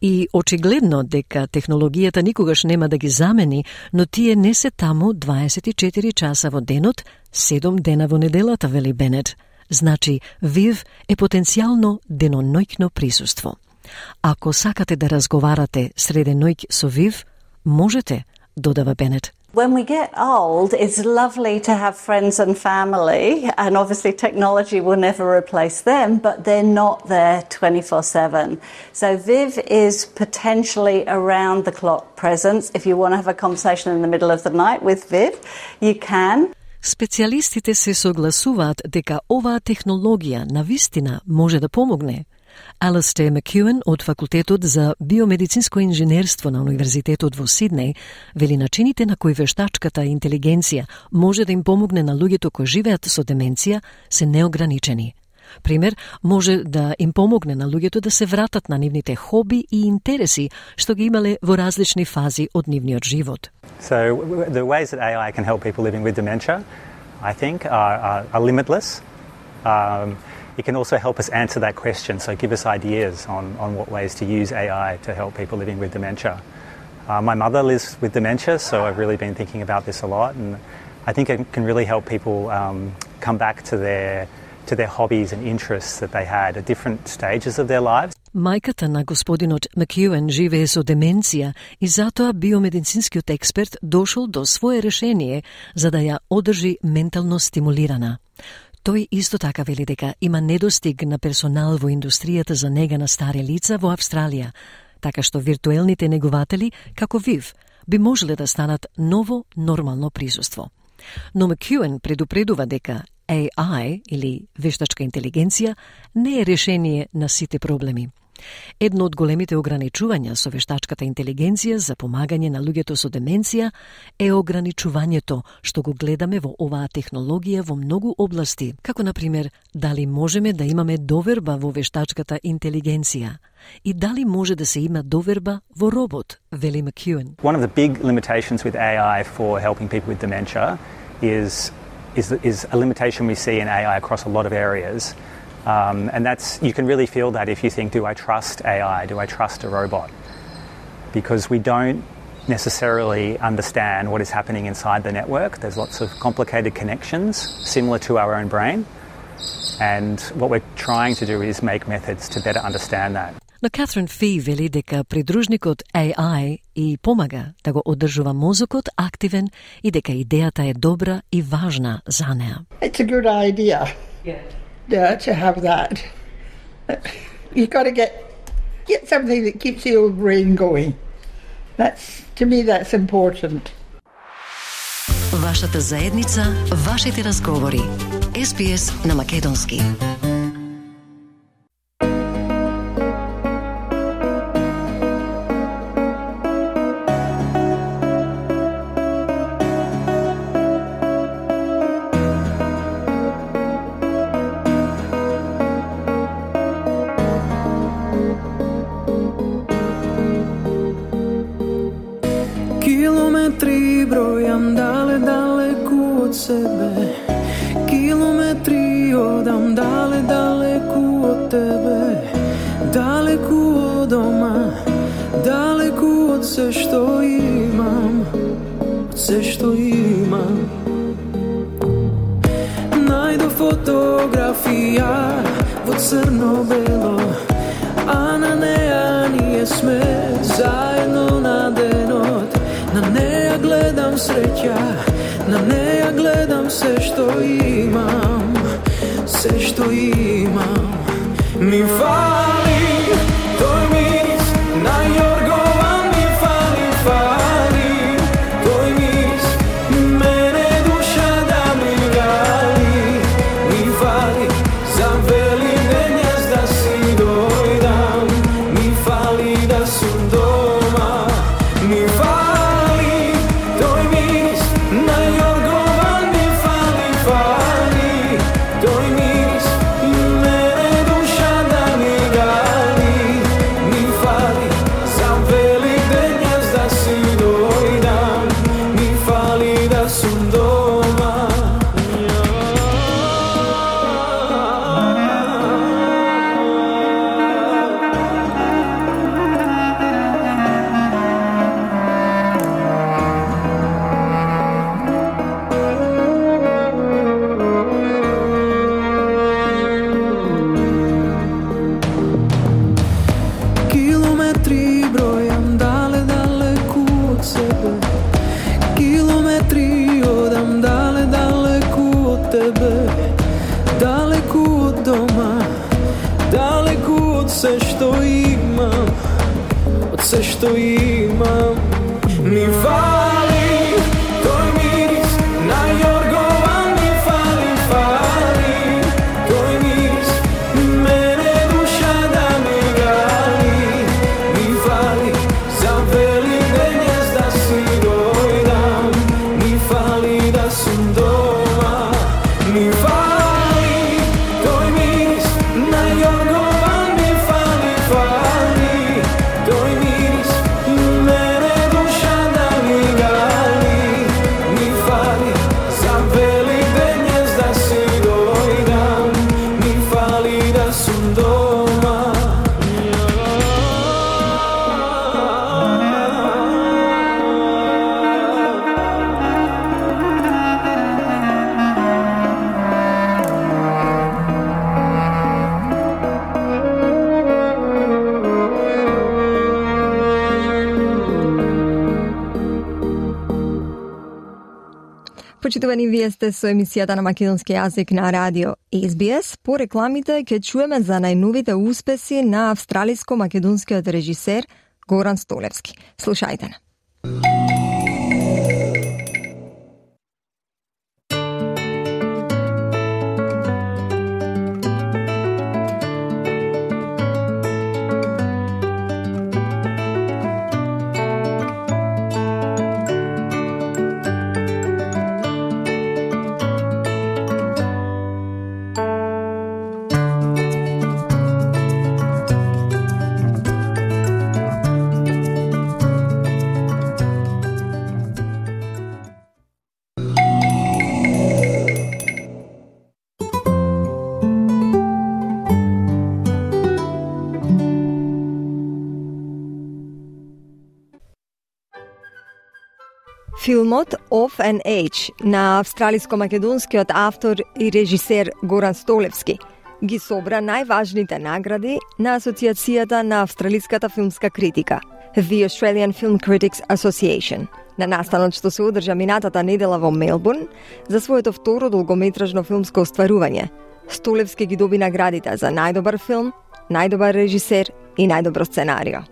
И очигледно дека технологијата никогаш нема да ги замени, но тие не се таму 24 часа во денот, 7 дена во неделата, вели Бенет. Значи, ВИВ е потенцијално деноноќно присуство. Ако сакате да разговарате среденоќ со ВИВ, можете, додава Бенет. When we get old, it's lovely to have friends and family, and obviously technology will never replace them, but they're not there 24/7. So VIV is potentially around the clock presence. If you want to have a conversation in the middle of the night with VIV, you can. Специјалистите се согласуваат дека оваа технологија навистина може да помогне. Алистер Макюен од Факултетот за биомедицинско инженерство на Универзитетот во Сиднеј вели начините на кои вештачката интелигенција може да им помогне на луѓето кои живеат со деменција се неограничени. Пример, може да им помогне на луѓето да се вратат на нивните хоби и интереси што ги имале во различни фази од нивниот живот. So the ways that AI can help people living with dementia, I think, are limitless. It can also help us answer that question, so give us ideas on what ways to use AI to help people living with dementia. My mother lives with dementia, so I've really been thinking about this a lot, and I think it can really help people come back to their hobbies and interests that they had at different stages of their lives. Мајката на господинот Макюен живее со деменција и затоа биомедицинскиот експерт дошол до свое решение за да ја одржи ментално стимулирана. Тој исто така вели дека има недостиг на персонал во индустријата за нега на стари лица во Австралија, така што виртуелните негуватели, како ВИВ, би можеле да станат ново нормално присуство. Но Макюен предупредува дека AI, или вештачка интелигенција, не е решение на сите проблеми. Едно од големите ограничувања со вештачката интелигенција за помагање на луѓето со деменција е ограничувањето што го гледаме во оваа технологија во многу области, како например дали можеме да имаме доверба во вештачката интелигенција и дали може да се има доверба во робот, вели Макюен. One of the big limitations with AI for helping people with dementia is a limitation we see in AI across a lot of areas. And that's, you can really feel that if you think, do I trust AI? Do I trust a robot? Because we don't necessarily understand what is happening inside the network. There's lots of complicated connections similar to our own brain. And what we're trying to do is make methods to better understand that. Но Катрин Фи вели дека придружникот AI и помага да го одржува мозокот активен и дека идејата е добра и важна за неа. It's a good idea. Yeah, to have that. You got to get something that keeps the old brain going. To me, that's important. Вашата заедница, вашите разговори. SBS на македонски. Kilometri brojam daleku od sebe, kilometri odam daleku od tebe, daleku od doma, daleku od sve što imam, Najdo fotografija vo crno-belo, a na neja nije sme, zajedno na denot. Na neja gledam sreća, na neja gledam sve što imam, mi fali, tvoj miris na jorgovan mi fali, tvoj miris, mene duša da mi gali, mi fali, za veli denjas da si dojdam, mi fali da sam doma, mi fali. Fali, tvoj miris, mene duša da mi се што имам. Ми фали тој мирис на јоргован, ми фали, фали тој мирис, мене душа да ми гали. Ми фали за Великден јас да си дојдам, ми фали да сум дома. Ми фали тој мирис на јоргован, ми фали, фали тој мирис, мене душа да ми гали. Ми фали за Великден јас да си дојдам, ми фали да сум дома. Почитувани, вие сте со емисијата на македонски јазик на радио SBS. По рекламите ќе чуеме за најновите успеси на австралиско-македонскиот режисер Горан Столевски. Слушајте на. Филмот Off and Age на австралиско-македонскиот автор и режисер Горан Столевски ги собра најважните награди на Асоциацијата на австралиската филмска критика, The Australian Film Critics Association, на настанот што се одржа минатата недела во Мелбурн за своето второ долгометражно филмско остварување. Столевски ги доби наградите за најдобар филм, најдобар режисер и најдобро сценарио.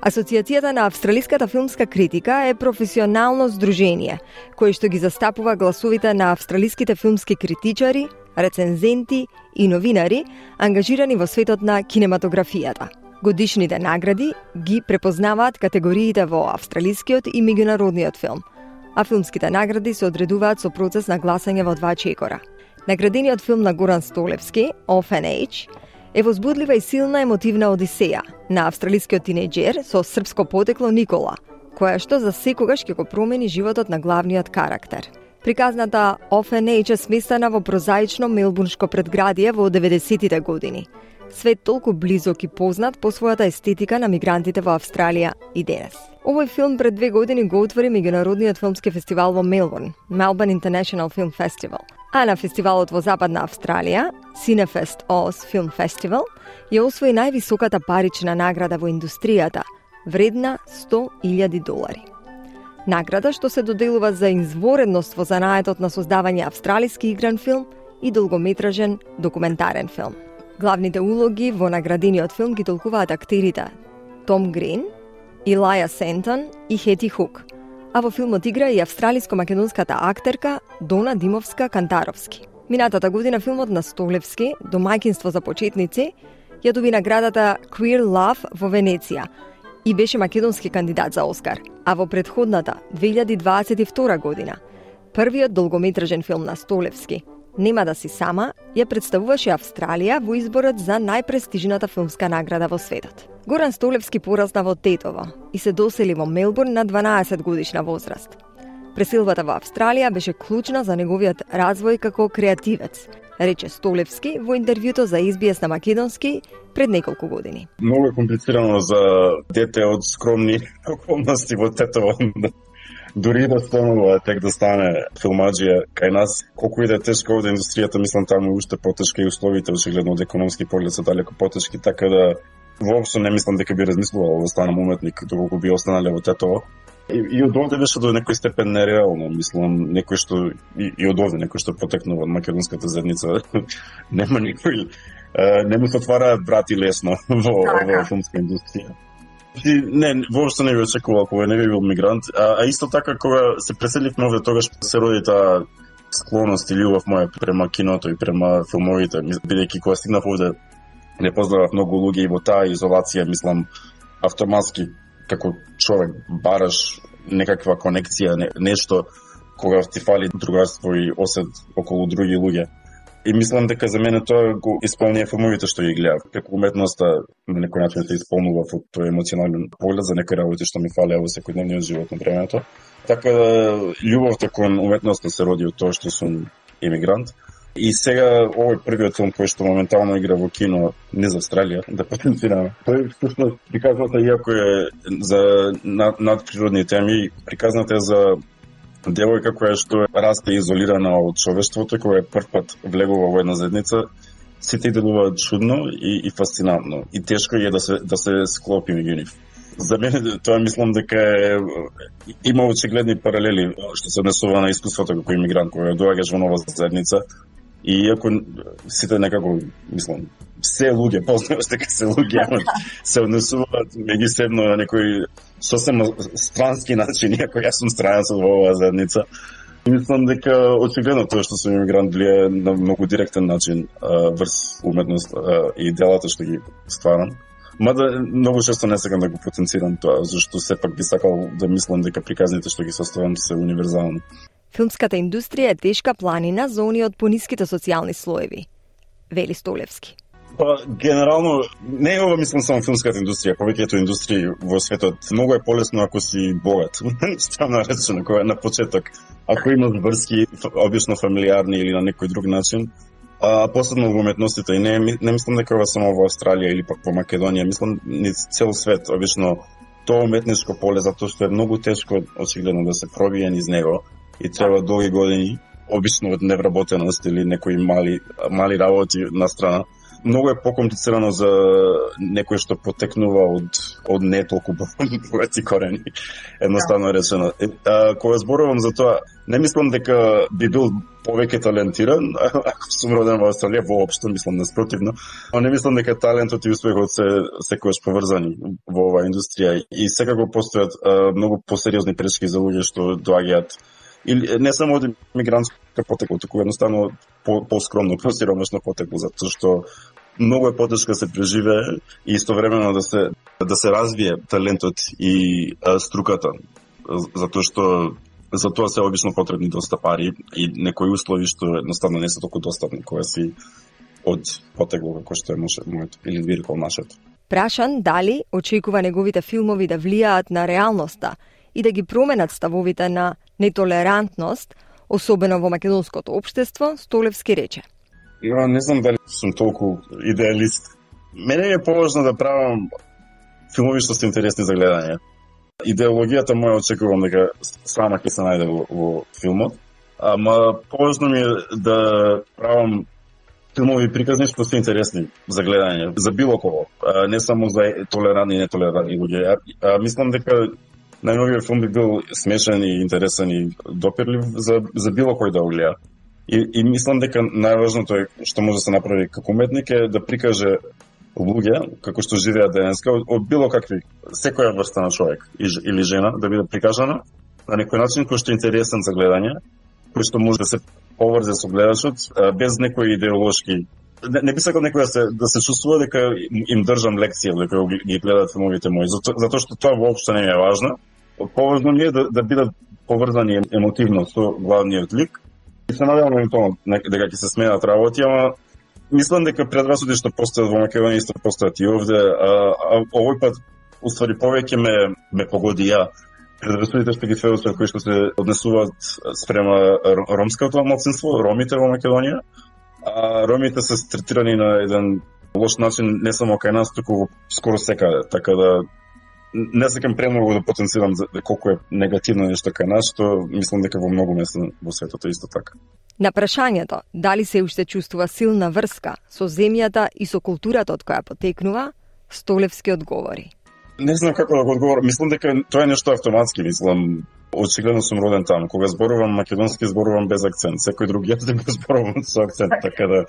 Асоцијацијата на австралиската филмска критика е професионално здружение кое што ги застапува гласовите на австралиските филмски критичари, рецензенти и новинари ангажирани во светот на кинематографијата. Годишните награди ги препознаваат категориите во австралискиот и меѓународниот филм, а филмските награди се одредуваат со процес на гласање во 2 чекора. Наградениот филм на Горан Столевски, Off and Age, е возбудлива и силна емотивна одисеја на австралискиот тинејџер со српско потекло Никола, која што за секогаш ќе го промени животот на главниот карактер. Приказната Off and Age е сместена во прозаично мелбурншко предградие во 90-тите години. Свет толку близок и познат по својата естетика на мигрантите во Австралија и денес. Овој филм пред 2 години го отвори меѓународниот филмски фестивал во Мелбурн, Melbourne International Film Festival. А на фестивалот во Западна Австралија, Cinefest Oz Film Festival, ја освои највисоката парична награда во индустријата, вредна $100,000. Награда што се доделува за изворедност во занаетот на создавање австралиски игран филм и долгометражен документарен филм. Главните улоги во наградениот филм ги толкуваат актерите Том Грин, Илаја Сентон и Хети Хук, а во филмот игра и австралиско-македонската актерка Дона Димовска-Кантаровски. Минатата година филмот на Столевски, Домаќинство за почетници, ја доби наградата Queer Love во Венеција и беше македонски кандидат за Оскар, а во предходната 2022 година првиот долгометражен филм на Столевски, Нема да си сама, ја представуваше Австралија во изборот за најпрестижната филмска награда во светот. Горан Столевски порасна во Тетово и се досели во Мелбурн на 12 годишна возраст. Преселбата во Австралија беше клучна за неговиот развој како креативец, рече Столевски во интервјуто за SBS на македонски пред неколку години. Многу е комплицирано за дете од скромни околности во Тетово. Дури да станува тек да стане филмаџија кај нас, колку и да е тешка овде индустријата, мислам таму уште потешка и условите очигледно од економски поглед се далеко потешки, така да воопшто не мислам дека би размислувал да станам уметник доколку би останале во Тетово. И од овде беше до некој степен нереално, мислам, некој што и од овде некој што потекнува од македонската заедница не му се отвараат врати лесно во филмска индустрија. Не, воопшто не би очекувал кога не би бил мигрант, а исто така кога се преселивме овде, тогаш се роди таа склоност и љубов моја према киното и према филмовите, бидејќи кога стигнав овде не познавав многу луѓе и во таа изолација, мислам, автоматски како човек бараш некаква конекција, нешто кога ти фали другарство и осет околу други луѓе. И мислам дека за мене тоа го исполнија филмовите што ги гледав. Преку уметноста на некој начин се исполнува во тој емоционален поглед за некои работи што ми фалеа во секојдневниот живот на времето. Така да љубовта кон уметноста се роди од тоа што сум емигрант. И сега овој првиот филм кој што моментално игра во кино низ Австралија, да потенцираме. Тој всушност приказната, иако е за надприродни теми, приказната е за девојка која што расте изолирана од човештвото, која прв пат влегува во една заедница, сите делуваат чудно и фасцинантно. И тешко е да се склопи меѓу нив. За мене тоа мислам дека има очигледни паралели што се однесува на искуството како имигрант кој доаѓаш во нова заедница. И иако сите некако, мислам, се луѓе, познаваш дека се луѓе, се однесуваат меѓусебно на некој сосем странски начин, иако јас сум странец во оваа заедница. Мислам дека очигледно тоа што сум имигрант влијае на многу директен начин врз уметност и делата што ги стварам. Мада многу често не сакам да го потенцирам тоа, зашто сепак би сакал да мислам дека приказните што ги составам се универзални. Филмската индустрија е тешка планина за оние од пониските социјални слоеви, вели Столевски. Па, генерално, не е ова, мислам, само филмската индустрија, повеќето индустрии во светот. Многу е полесно ако си богат, странно речено, кој е на почеток. Ако имаш врски, обично фамилиарни или на некој друг начин, а посебно во уметностите. И не мислам дека ова само во Австралија или пак по Македонија, мислам низ цел свет, обично тоа уметничко поле, затоа што е многу тешко очигледно да се пробие низ него и треба долги години, обично од невработеност или некои мали работи на страна. Многу е покомплицирано за некој што потекнува од не толку богати корени, едноставно речено. Кога зборувам за тоа, не мислам дека би бил повеќе талентиран, ако сум роден во Австралија, воопшто мислам наспротивно, но не мислам дека талентот и успехот се секогаш поврзани во оваа индустрија и секако постојат многу посериозни пречки за луѓе што доаѓаат или не само од мигрантска потекло, туку едноставно по-скромно, по-сиромашно потекло, затоа што многу е потешко да се преживее и истовремено да се развие талентот и струката, затоа што за тоа се обично потребни доста пари и некои услови што едноставно не се толку достапни кога си од потекло како што е моето или виркол нашето. Прашан дали очекува неговите филмови да влијаат на реалноста и да ги променат ставовите на нетолерантност, особено во македонското општество, Столевски рече. Не знам дали сум толку идеалист. Мене е поважно да правам филмови што се интересни за гледање. Идеологијата моја очекувам дека сама ќе се најде во филмот, ама поважно ми е да правам филмови приказни што се интересни за гледање, за било кого, не само за толерантни и нетолерантни луѓе. Мислам дека најновиот филм би бил смешен и интересен и допирлив за било кој да го гледа. И мислам дека најважното е што може да се направи како уметник е да прикаже луѓе како што живеат денеска од било какви, секоја врста на човек или жена да биде прикажана на некој начин кој што е интересен за гледање, кој што може да се поврзе со гледачот без некои идеолошки. Не би сакал некој да се чувствува дека им држам лекција дека ги гледаат филмовите мои, затоа што тоа воопшто не е важно. Поважно ми е да бидат поврзани емотивно со главниот лик. И се надевам евентуално дека ќе се сменат работи, ама мислам дека предрасуди што постојат во Македонија исто постојат и овде, а овој пат уствари повеќе ме погоди ја. Предрасудите што ги сведоцат кои што се однесуваат спрема ромското малцинство, ромите во Македонија. Ромите се третирани на еден лош начин не само кај нас, туку скоро секаде, така да не сакам премногу да потенцирам колку е негативно нешто кај нас, што мислам дека во многу места во светот е исто така. На прашањето дали се уште чувствува силна врска со земјата и со културата од која потекнува, Столевски одговори. Не знам како да го одговорам. Мислам дека тоа е нешто автоматски, мислам. Очигледно сум роден таму. Кога зборувам македонски, зборувам без акцент. Секој друг јазик го зборувам со акцент, така да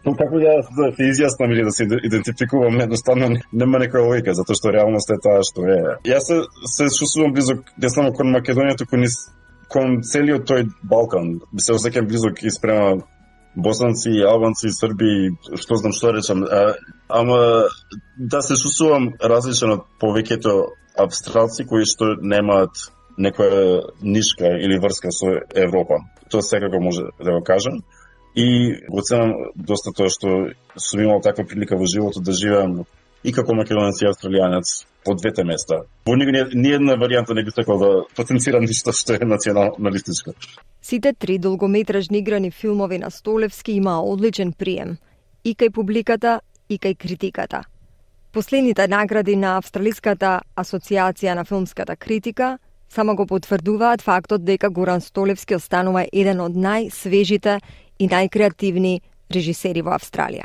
Како ја се изјаснам или да се идентификувам, едноставно нема некоја логика, затоа што реалноста е таа што е. Јас се чувствувам близок не само кон Македонија, туку кон целиот тој Балкан. Се осеќам близок и спрема босанци, албанци, срби, што знам што речам. Ама да се чувствувам различен од повеќето австралци кои што немаат некоја нишка или врска со Европа. Тоа секако може да го кажам. И го ценам доста тоа што сум имал таква прилика во животот да живеам и како македонец и австралијанец по двете места. Во ни една варијанта не би сакал да потенцирам ништо што е националистичко. Сите 3 долгометражни играни филмови на Столевски имаа одличен прием и кај публиката и кај критиката. Последните награди на Австралиската асоциација на филмската критика само го потврдуваат фактот дека Горан Столевски останува еден од најсвежите и најкреативни режисери во Австралија.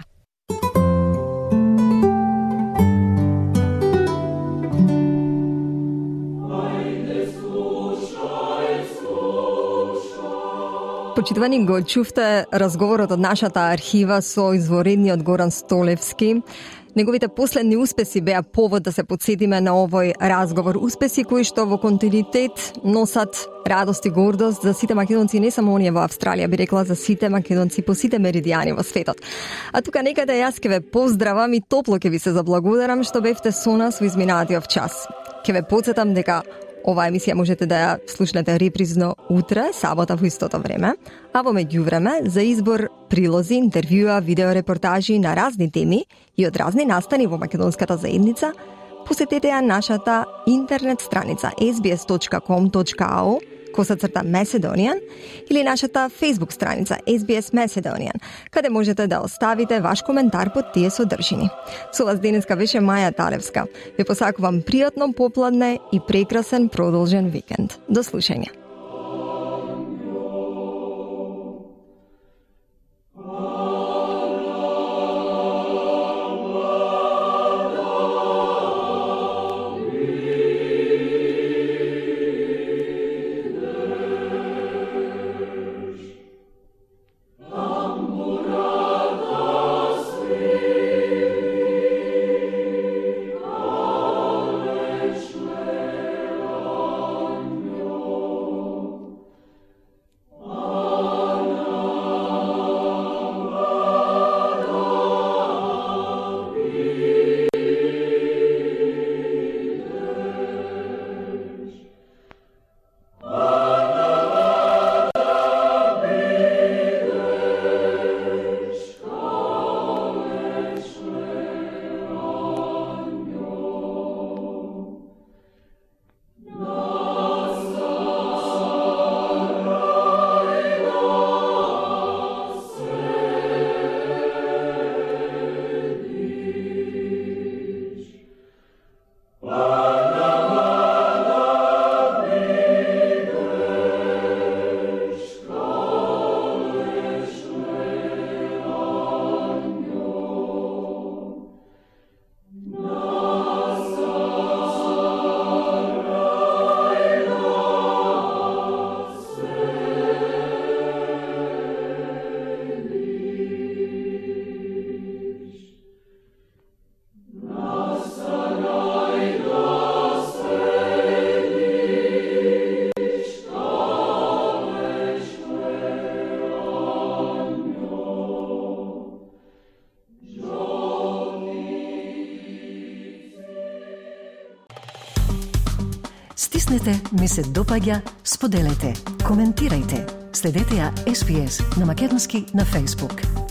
Почитувани, го чувте разговорот од нашата архива со изворедниот Горан Столевски. Неговите последни успеси беа повод да се подсетиме на овој разговор. Успеси кои што во континуитет носат радост и гордост за сите македонци, не само оние во Австралија, би рекла за сите македонци по сите меридијани во светот. А тука некаде јас ке ве поздравам и топло ке ви се заблагодарам што бевте со нас во изминатиот час. Ке ве подсетам дека оваа емисија можете да ја слушнете репризно утре, сабота во истото време, а во меѓувреме за избор прилози, интервјуа, видеорепортажи на разни теми и од разни настани во македонската заедница, посетете ја нашата интернет страница sbs.com.au/Macedonian или нашата Facebook страница SBS Macedonian, каде можете да оставите ваш коментар под тие содржини. Со вас денеска беше Маја Талевска. Ви посакувам пријатно попладне и прекрасен продолжен викенд. До слушање. Стиснете, ми се допаѓа, споделете, коментирајте. Следете ја SPS на македонски на Facebook.